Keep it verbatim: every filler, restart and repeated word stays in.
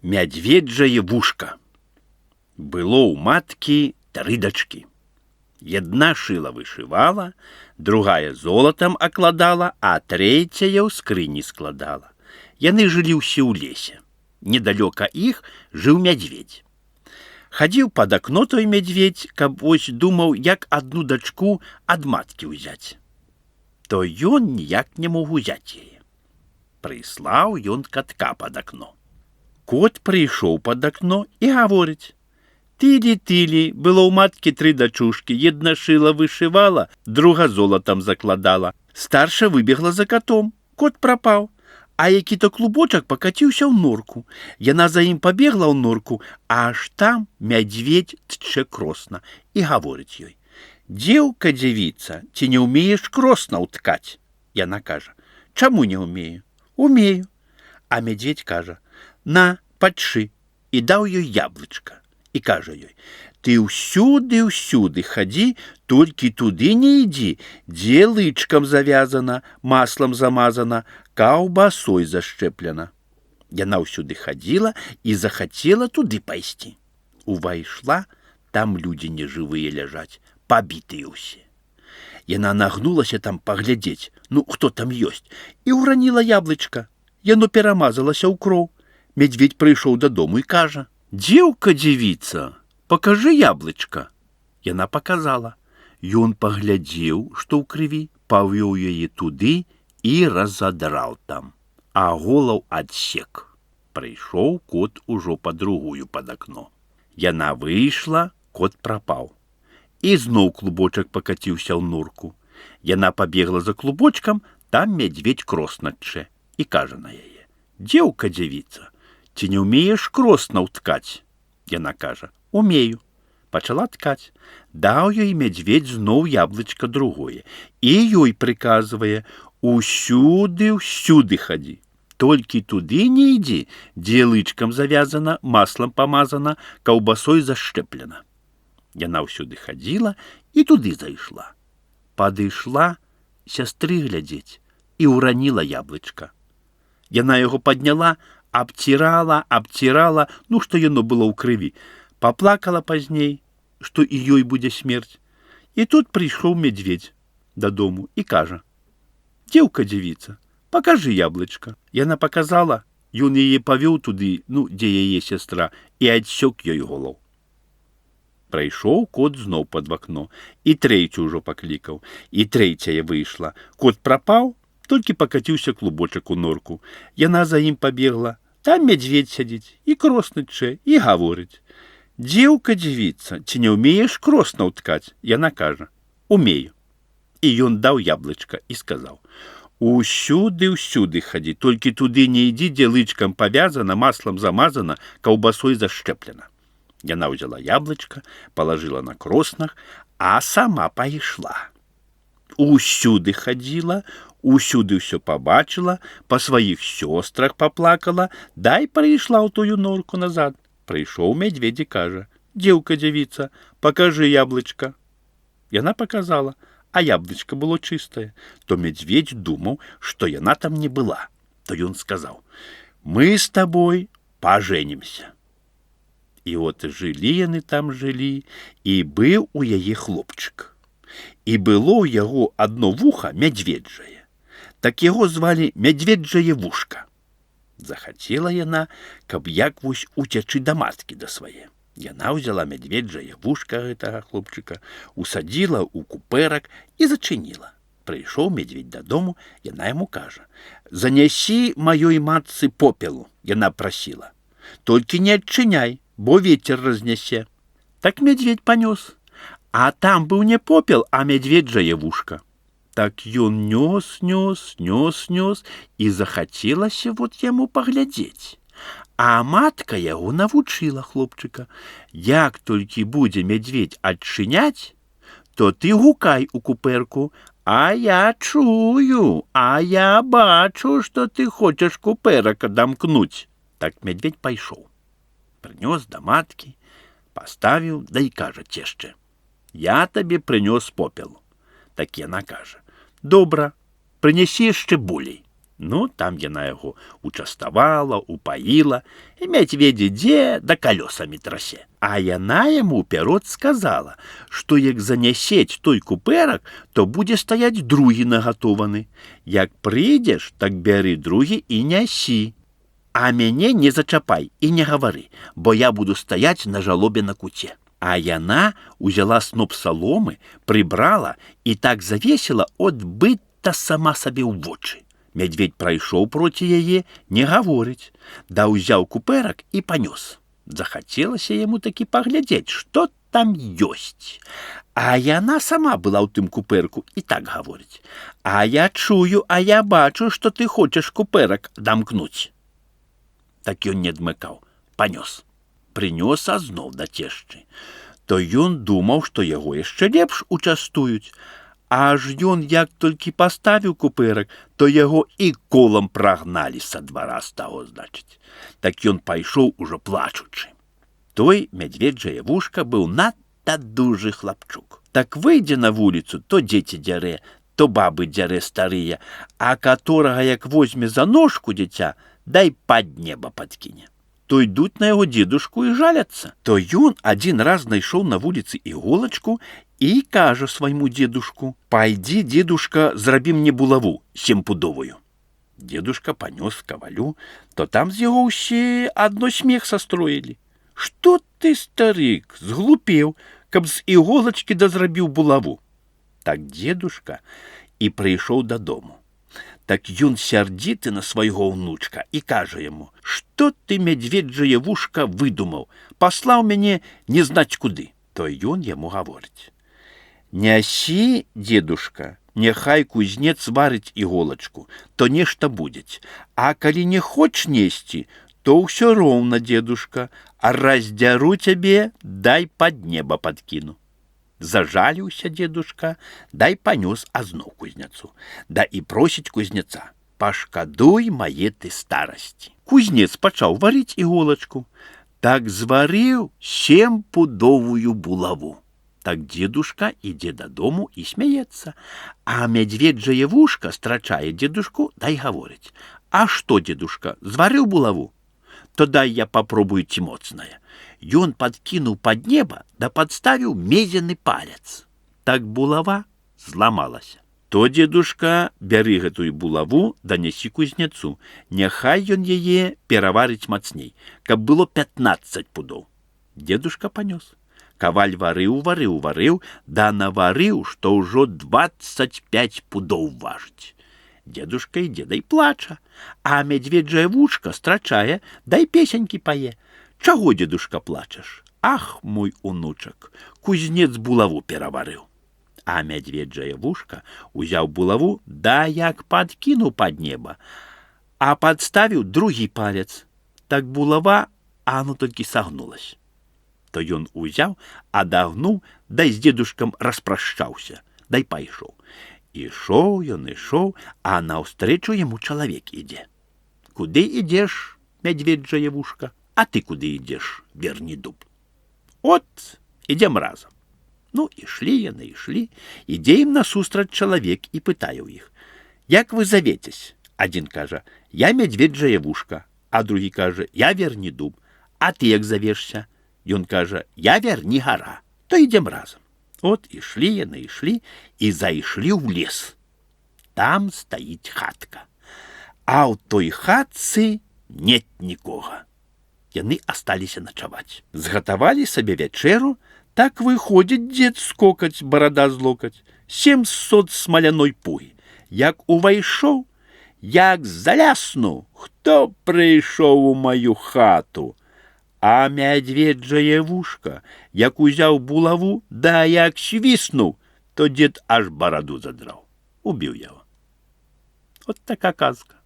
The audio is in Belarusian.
Мядзведжае вушка. Было ў маткі тры дачкі. Една шыла вышывала, другая золатам акладала, а трэцяя ў скрыні складала. Яны жылі ўсе ў лесе. Недалёка іх жыў мядзведь. Хадзіў пад акно той мядзведь, каб вось думаў, як адну дачку ад маткі ўзяць. То ён ніяк не мог узяць яе. Прыслаў ён катка пад акно. Кот прыйшоў пад акно і гаворыць: «Тылі-тылі, было ў маткі тры дачушкі, една шыла вышывала, друга золатам закладала. Старша выбегла за котом, кот прапаў, а які-то клубочак пакаціўся ў норку. Яна за ім пабегла ў норку, а аж там мядзведь тчэ кросна і гаворыць ёй: «Дзеўка, дзявіца, ці не ўмееш кросна ўткаць?» Яна кажа: «Чаму не ўмею?» «Умею». А мядзведь кажа: «На, падшы», і даў ёй яблычка. І кажа ёй: «Ты ўсюды-ўсюды хадзі, толькі туды не ідзі, дзе лычкам завязана, маслам замазана, каўбасой зашчэплена». Яна ўсюды хадзіла і захацела туды пайсці. Увайшла, там людзі нежывыя ляжаць, пабітыя ўсе. Яна нагнулася там паглядзець, ну хто там ёсць, і ўраніла яблычка. Яно перамазалася ў кроў. Мядзведь прыйшоў дадому і кажа: «Дзеўка, дзявіца, пакажы яблычка». Яна паказала. Ён паглядзеў, што ў крыві, павёў яе туды і разадраў там, а голаў адсек. Прыйшоў кот ужо па другую пад акно. Яна выйшла, кот прапаў. І зноў клубочак пакаціўся ў норку. Яна пабегла за клубочкам, там мядзведь кросна тчэ і кажа на яе: «Дзеўка, дзявіца, ці не ўмееш кросна ўткаць?» Яна кажа: «Умею». Пачала ткаць. Даў ёй мядзведь зноў яблычка другое і ёй прыказвае: «Усюды-ўсюды хадзі, толькі туды не ідзі, дзе лычкам завязана, маслам памазана, каўбасой зашчэплена». Яна ўсюды хадзіла і туды зайшла. Падышла сястры глядзець і ўраніла яблычка. Яна яго падняла, абцірала, абцірала, ну, што яно было ў крыві. Паплакала пазней, што і ёй будзе смерць. І тут прыйшоў мядзведь дадому і кажа: «Дзеўка, дзявіца, пакажы яблычка». Яна паказала, ён яе павёў туды, ну, дзе яе сястра, і адсёк ёй голаў. Прайшоў кот зноў пад вакно, і трэцю ўжо паклікаў, і трэцяя выйшла. Кот прапаў, толькі пакаціўся клубочак у норку. Яна за ім пабегла. Там мядзведь сядзіць і кросна тчэ і гаворыць: «Дзеўка, дзявіца, ці не ўмееш кросна ўткаць?» Яна кажа: «Умею». І ён даў яблычка і сказаў: «Усюды-ўсюды хадзі, толькі туды не ідзі, дзе лычкам павязана, маслам замазана, каўбасой зашчэплена». Яна ўзяла яблычка, палажыла на кроснах, а сама пайшла. Усюды хадзіла, усюды ўсё пабачыла, па сваіх сёстрах паплакала, дай прыйшла ў тую норку назад. Прыйшоў мядзведзь і кажа: «Дзеўка, дзявіца, пакажы яблычка». Яна паказала, а яблычка было чыстае. То мядзведзь думаў, што яна там не была. То ён сказаў: «Мы з табой пажэнімся». І от жылі яны там жылі, і быў у яе хлопчык. І было ў яго адно вуха мядзведжае. Так яго звалі Мядзведжае вушка. Захацела яна, каб як вось уцячы да маткі да свае. Яна ўзяла мядзведжае вушка гэтага хлопчыка, усадзіла ў купэрак і зачыніла. Прыйшоў мядзведь дадому, яна яму кажа: «Занясі маёй матцы попелу». Яна прасіла: «Толькі не адчыняй, бо вецер разнясе». Так мядзведь панёс. А там быў не попел, а мядзведжае вушка. Так ён нёс, нёс, нёс, нёс, і захацелася вот яму паглядзець. А матка яго навучыла хлопчыка: «Як толькі будзе мядзведь адчыняць, то ты гукай у купэрку: а я чую, а я бачу, што ты хочаш купэрак адамкнуць». Так мядзведь пайшоў. Прынёс да маткі, паставіў, да і кажа цешчэ: «Я табе прынёс попел». Так яна кажа: «Добра, прынясі яшчэ болей». Ну, там яна яго участавала, упаіла, і мядзведзь ідзе да калёсамі трасе. А яна яму ўперод сказала, што як занясець той купэрак, то будзе стаяць другі нагатованы. Як прыйдзеш, так бяры другі і нясі. А мяне не зачапай і не гавары, бо я буду стаяць на жалобе на куце. А яна узяла сноп саломы, прыбрала і так завесіла, от быццам сама сабе ў вочы. Мядзведь прайшоў проці яе, не гаворыць, да ўзяў купэрак і панёс. Захацелася яму такі паглядзець, што там ёсць. А яна сама была ў тым купэрку і так гаворыць: «А я чую, а я бачу, што ты хочаш купэрак дамкнуць». Так ён не адмыкаў, панёс. Прынёс азноў да цешчы. То ён думаў, што яго яшчэ лепш участуюць. Аж ён як толькі паставіў купэрак, то яго і колам прагналі са двара з таго, значыць. Так ён пайшоў ужо плачучы. Той мядзведжае вушка быў надта дужы хлапчук. Так выйдзе на вуліцу, то дзеці дзярэ, то бабы дзярэ старыя, а каторага як возьме за ножку дзіця, дай пад неба падкіне. То йдуць на яго дзедушку і жаляцца. То ён адзін раз знайшоў на вуліцы іголачку і кажа свайму дзедушку: «Пайдзі, дзедушка, зрабі мне булаву семпудовую». Дзедушка панёс кавалю, то там з яго ўсе адно смех састроілі. «Што ты, старык, зглупеў, каб з іголачкі да зрабіў булаву?» Так дзедушка і прыйшоў дадому. Так ён сярдзіты на свайго ўнучка і кажа яму: «Што ты, мядзведжае вушка, выдумаў? Паслаў мяне не знаць куды». То ён яму гаворыць: «Нясі, дзедушка, няхай кузнец варыць іголачку, то нешта будзець. А калі не хоч несці, то ўсё роўна, дзедушка, а раздзяру цябе, дай пад неба падкіну». Зажаліўся дзедушка, дай панёс азноў кузнецу. Да і просіць кузнеца: «Пашкадуй мае ты старасці». Кузнец пачаў варыць іголачку. Так зварыў семпудовую булаву. Так дзедушка ідзе дадому і смяецца. А мядзведжае вушка страчае дзедушку, дай гаворыць: «А што, дзедушка, зварыў булаву? То дай я попробую ці моцная». Ён падкінуў пад неба, да падставіў мезены палец. Так булава зламалася. То, дзедушка, бяры гэтую булаву, данясі кузнецу. Няхай ён яе пераварыць мацней, каб было пятнаццаць пудоў. Дзедушка панёс. Каваль варыў, варыў, варыў, да наварыў, што ўжо дваццаць пяць пудоў важыць. Дзедушка ідзе, дай плача, а мядзведжае вушка страчае, дай песенькі пае. «Чаго, дзедушка, плачаш? Ах, мой унучак, кузнец булаву пераварыў». А мядзведжае вушка узяў булаву, да як падкінуў пад неба, а падставіў другі палец. Так булава, а ну толькі сагнулась. То ён узяў, адагнуў, дай з дзедушкам распрашчаўся, дай пайшоў. Ішоў ён, ішоў, а наўстрэчу яму чалавек ідзе. «Куды ідзеш, мядзведжае вушка? А ты куды ідзеш, верні дуб?» «От, ідзем разам». Ну, ішлі яны, ішлі, ідзе ім насустрач чалавек і пытае ў іх: «Як вы завецесь?» Адзін кажа: «Я мядзведжае вушка», а другі кажа: «Я верні дуб». «А ты як завешся?» Ён кажа: «Я верні гара». То ідзем разам. От ішлі яны, ішлі і зайшлі ў лес. Там стаіць хатка. А ў той хатцы нет нікога. Яны асталіся начаваць. Згатавалі сабе вячэру, так выходзіць дзед скокаць, барада злокаць, семьсот смаляной пугі. Як увайшоў, як заляснуў: «Хто прыйшоў у маю хату?» А мядзведжае вушка, як узяў булаву, да як свіснуў, то дзед аж бараду задраў. Убіў яго. От така казка.